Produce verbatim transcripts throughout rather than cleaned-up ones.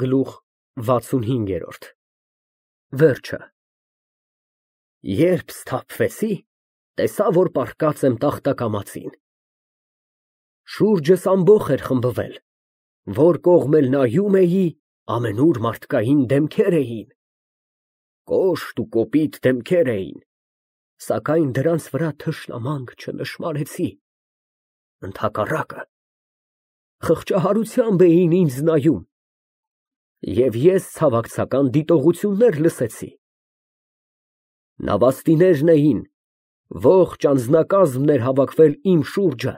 Գլուխ վաթսունհինգ։ Վերջը Երբ սթափվեցի, տեսա, որ պառկած եմ տախտակամածին։ Շուրջս ամբոխ էր խմբվել, որ կողմ էլ նայում էի, ամենուր մարդկային դեմքեր էին, կոշտ ու կոպիտ դեմքեր էին, սակայն դրանց վրա թշնամանք չնշմարեցի, ընդհակառակը, խղճահարությամբ էին ինձ նայում, և ես ցավակցական դիտողություններ լսեցի։ Նավաստիներն էին, ողջ անձնակազմն էր հավաքվել իմ շուրջը։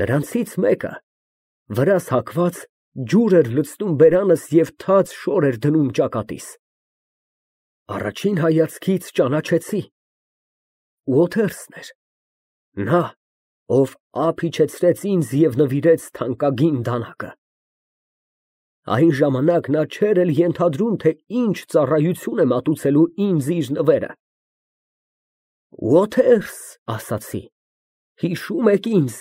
Նրանցից մեկը, վրաս հագված, ջուր էր լցնում բերանս և թաց շոր էր դնում ճակատիս։ Առաջին հայացքից ճանաչեցի, Ուոթերսն էր, նա, ով ափ իջեցրեց ինձ և նվիրեց թանկագին դանակը։ Այն ժամանակ նա չէր էլ ենթադրում, թե ինչ ծառայություն է մատուցելու ինձ իր նվերը։ Ուոթերս, ասացի, հիշո՞ւմ եք ինձ։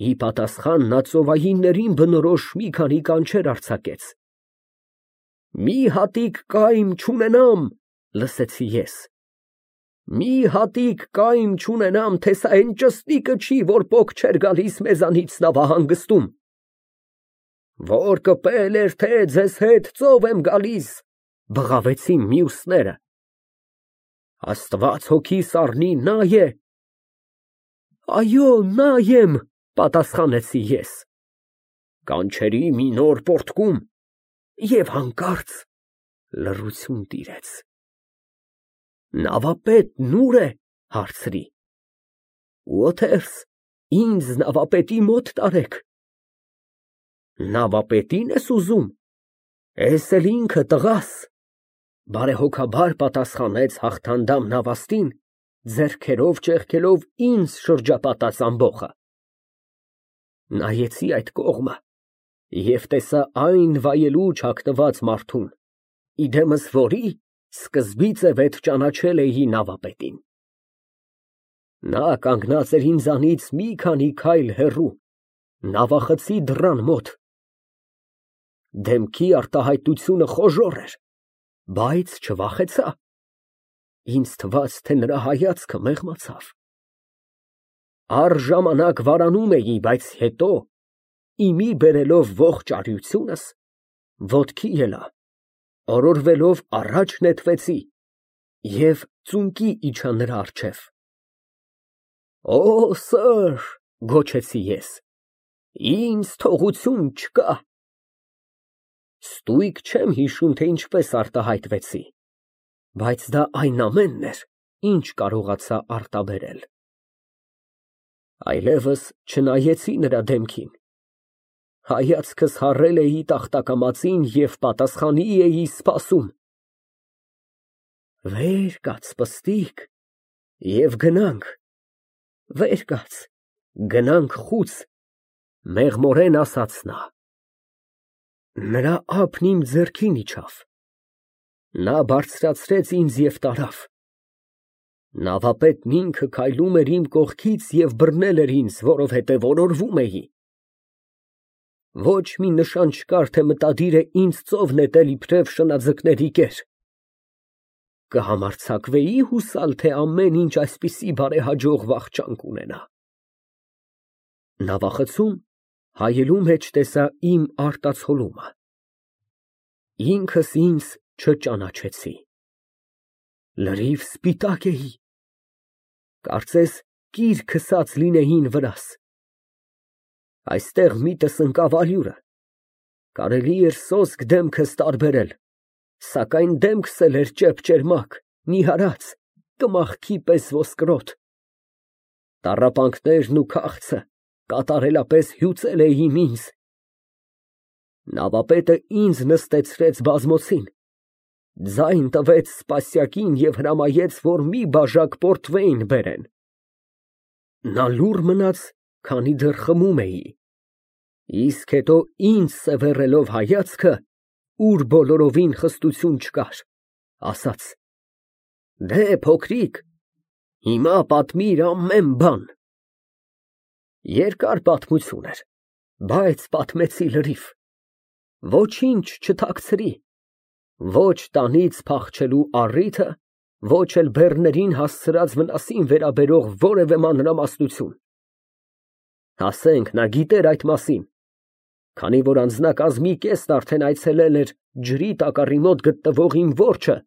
Ի պատասխան նա ծովայիններին բնորոշ մի քանի կանչեր արձակեց։ Մի հատիկ կայմ չունենամ, լսեցի ես, մի հատիկ կայմ չունենամ, թե սա այն ճստիկը չի, որ պոկ չէր գալիս մեզանից նավահանգստում։ Որ կպել էր, թե ձեզ հետ ծով եմ գալիս, բղավեցին մյուսները։ Աստված հոգիս առնի, նա է։ Այո, նա եմ, պատասխանեցի ես։ Կանչերի մի նոր պոռթկում, և հանկարծ լռություն տիրեց։ Նավապետն ո՞ւր է, հարցրի։ Ուոթերս, ինձ նավապետի մոտ տարեք։ Նավապետի՞ն ես ուզում, էս էլ ինքը տղաս, բարեհոգաբար պատասխանեց հաղթանդամ նավաստին, ձեռքերով ճեղքելով ինձ շրջապատած ամբոխը։ Նայեցի այդ կողմը և տեսա այն վայելուչ հագնված մարդուն, իդեմս որի սկզբից է վեթ ճանաչել էի նավապետին։ Նա կանգնած էր ինձանից մի քանի քայլ հեռու, նավախցի դռան մոտ։ Դեմքի արտահայտությունը խոժոռ էր, բայց չվախեցա, ինձ թվաց, թե նրա հայացքը մեղմացավ։ Առժամանակ վարանում էի, բայց հետո, իմի բերելով ողջ արիությունս, ոտքի ելա, օրորվելով առաջ նետվեցի և ծունկի իջա նրա առջև։ Օ, սըր, գոչեցի ես, ինձ թողություն չկա։ Ստույգ չեմ հիշում, թե ինչպես արտահայտվեցի, բայց դա այն ամենն էր, ինչ կարողացա արտաբերել։ Այլևս չնայեցի նրա դեմքին, հայացքս հառել էի տախտակամածին և պատասխանի էի սպասում։ Վեր կաց, պստիկ, և գնանք, վեր կաց, գնանք խուց, մեղմորեն ասաց նա։ Նրա ափն իմ ձեռքին իջավ, նա բարձրացրեց ինձ և տարավ։ Նավապետն ինքը քայլում էր իմ կողքից և բռնել էր ինձ, որովհետև օրորվում էի։ Ոչ մի նշան չկար, թե մտադիր է ինձ ծով նետել իբրև շնաձկների կեր։ Կհամարձակվեի հուսալ, թե ամեն ինչ այսպիսի բարեհաջող վախճան կունենա։ Նավախցում հայելու մեջ տեսա իմ արտացոլումը։ Ինքս ինձ չճանաչեցի։ Լրիվ սպիտակ էի, կարծես կիր քսած լինեին վրաս։ Այստեղ միտս ընկավ ալյուրը, կարելի էր սոսկ դեմքս տարբերել, սակայն դեմքս էլ էր ճեպճերմակ, նիհարած, կմախքի պես ոսկրոտ։ Տառապանքներն ու քաղցը կատարելապես հյուծել էին ինձ։ Նավապետը ինձ նստեցրեց բազմոցին, ձայն տվեց սպասյակին և հրամայեց, որ մի բաժակ պորտվեյն բերեն։ Նա լուռ մնաց, քանի դեռ խմում էի, իսկ հետո ինձ սևեռելով հայացքը, ուր բոլորովին խստություն չկար, ասաց. Դե, փոքրիկ, հիմա պատմիր ամեն բան։ Երկար պատմություն էր, բայց պատմեցի լրիվ։ ոչինչ չթաքցրի, ոչ տանից փախչելու առիթը, ոչ էլ բեռներին հասցրած վնասին վերաբերող որևէ մանրամասնություն։ Ասենք, նա գիտեր այդ մասին, քանի որ անձնակազմի կեսն արդեն այցելել էր ջրի տակառի մոտ գտնվող իմ որջը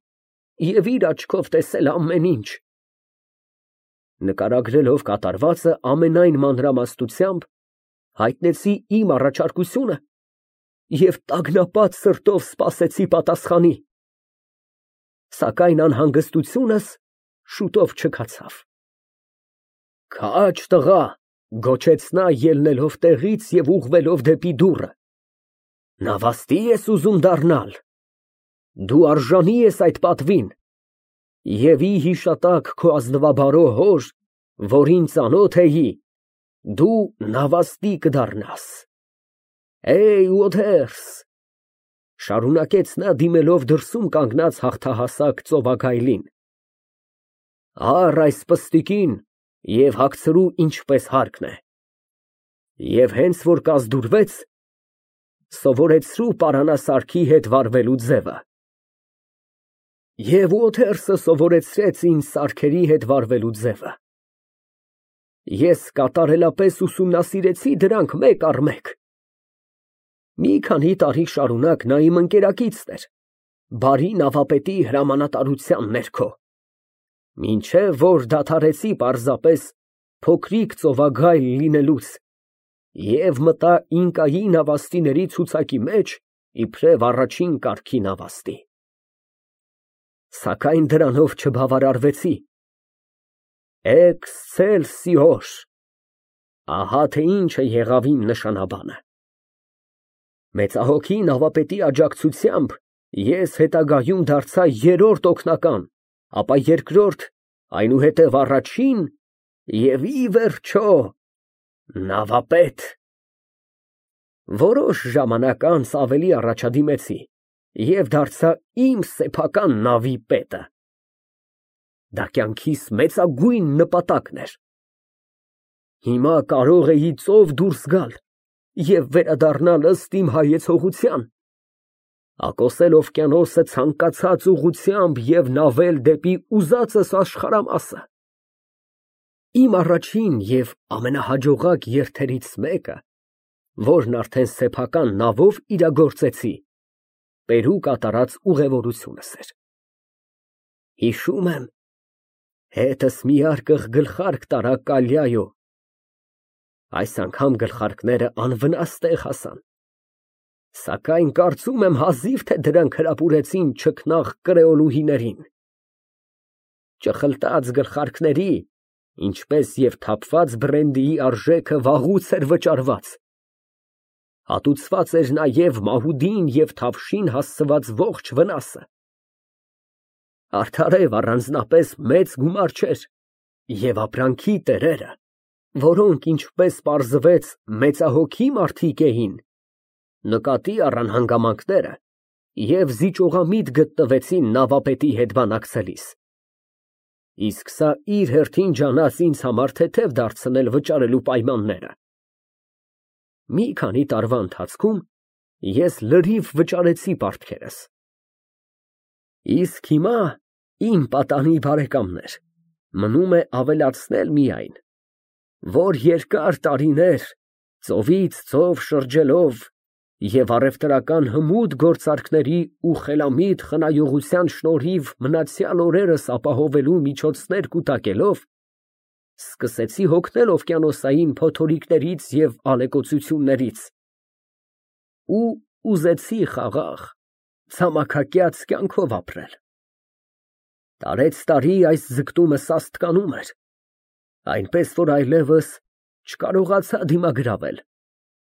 և իր աչքով տեսել ամեն ինչ։ Նկարագրելով կատարվածը ամենայն մանրամասնությամբ, հայտնեցի իմ առաջարկությունը և տագնապած սրտով սպասեցի պատասխանի, սակայն անհանգստությունս շուտով չքացավ։ «Քաջ, տղա», գոչեց նա, ելնելով տեղից և ուղղվելով դեպի դուռը, «նավաստի ես ուզում դառնալ, դու արժանի ես այդ պատվին, և ի հիշատակ քո ազնվաբարո հոր, որին ծանոթ էի, դու նավաստի կդառնաս։ Էյ, Ուոթերս», շարունակեց նա, դիմելով դրսում կանգնած հաղթահասակ ծովագայլին, «առ այս պստիկին և հագցրու ինչպես հարկն է, և հենց որ կազդուրվեց, սովորեցրու պարանասարքի հետ վարվելու ձևը»։ Եվ Ուոթերսը սովորեցրեց ինձ սարքերի հետ վարվելու ձևը։ Ես կատարելապես ուսումնասիրեցի դրանք մեկ առ մեկ։ Մի քանի տարի շարունակ նա իմ ընկերակիցն էր, բարի նավապետի հրամանատարության ներքո, մինչև որ դադարեցի պարզապես փոքրիկ ծովագայլ լինելուց և մտա ինկայի նավաստիների ցուցակի մեջ իբրև առաջին կարգի նավաստի։ Սակայն դրանով չբավարարվեցի։ Էքսցելսիոր, ահա թե ինչ է եղավ իմ նշանաբանը։ Մեծահոգի նավապետի աջակցությամբ ես հետագայում դարձա երրորդ օգնական, ապա երկրորդ, այնուհետև առաջին և ի վերջո նավապետ։ Որոշ ժամանակ անց ավելի առաջադիմեցի և դարձա իմ սեփական նավի պետը։ Դա կյանքիս մեծագույն նպատակն էր։ Հիմա կարող էի ծով դուրս գալ և վերադառնալ ըստ իմ հայեցողության, ակոսել օվկիանոսը ցանկացած ուղղությամբ և նավել դեպի ուզածս աշխարհամասը։ Իմ առաջին և ամենահաջողակ երթերից մեկը, որն արդեն սեփական նավով իրագործեցի, Պերու կատարած ուղևորությունս էր։ Հիշում եմ, հետս մի արկղ գլխարկ տարա Կալյայո, այս անգամ գլխարկները անվնաս տեղ հասան, սակայն կարծում եմ հազիվ թե դրանք հրապուրեցին չքնաղ կրեոլուհիներին։ Ճխլտած գլխարկների, ինչպես և թափված բրենդիի արժեքը վաղուց էր վճարված։ Հատուցված էր նաև մահուդին և թավշին հասցված ողջ վնասը։ Արդարև առանձնապես մեծ գումար չէր, և ապրանքի տերերը, որոնք, ինչպես պարզվեց, մեծահոգի մարդիկ էին, նկատի առան հանգամանքները և զիջողամիտ գտնվեցին նավապետի հետ բանակցելիս։ Իսկ սա իր հերթին ջանաց ինձ համար թեթև դարձնել վճարելու պայմանները։ Մի քանի տարվա ընթացքում ես լրիվ վճարեցի պարտքերս։ Իսկ հիմա, իմ պատանի բարեկամներ, մնում է ավելացնել միայն, որ երկար տարիներ ծովից ծով շրջելով և առևտրական հմուտ գործարքների ու խելամիտ խնայողության շնորհիվ մնացյալ օրերս ապահովելու միջոցներ կուտակելով, սկսեցի հոգնել օվկիանոսային փոթորիկներից և ալեկոծություններից ու ուզեցի խաղաղ, ցամաքակյաց կյանքով ապրել։ Տարեցտարի այս ձգտումը սաստկանում էր, այնպես որ այլևս չկարողացա դիմագրավել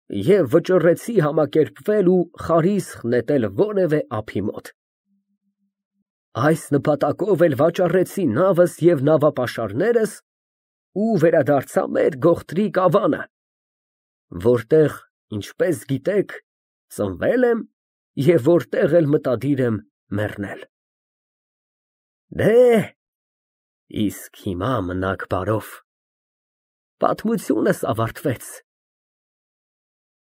և վճռեցի համակերպվել ու խարիսխ նետել որևէ ափի մոտ։ Այս նպատակով էլ վաճառեցի նավս և նավապաշարներս ու վերադարձա մեր գողտրիկ ավանը, որտեղ, ինչպես գիտեք, ծնվել եմ և որտեղ էլ մտադիր եմ մեռնել։ Դե, իսկ հիմա մնաք բարով, պատմությունս ավարտվեց։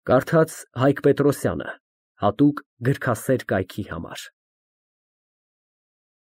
Կարդաց Հայկ Պետրոսյանը, Հատուկ գրքասեր կայքի համար։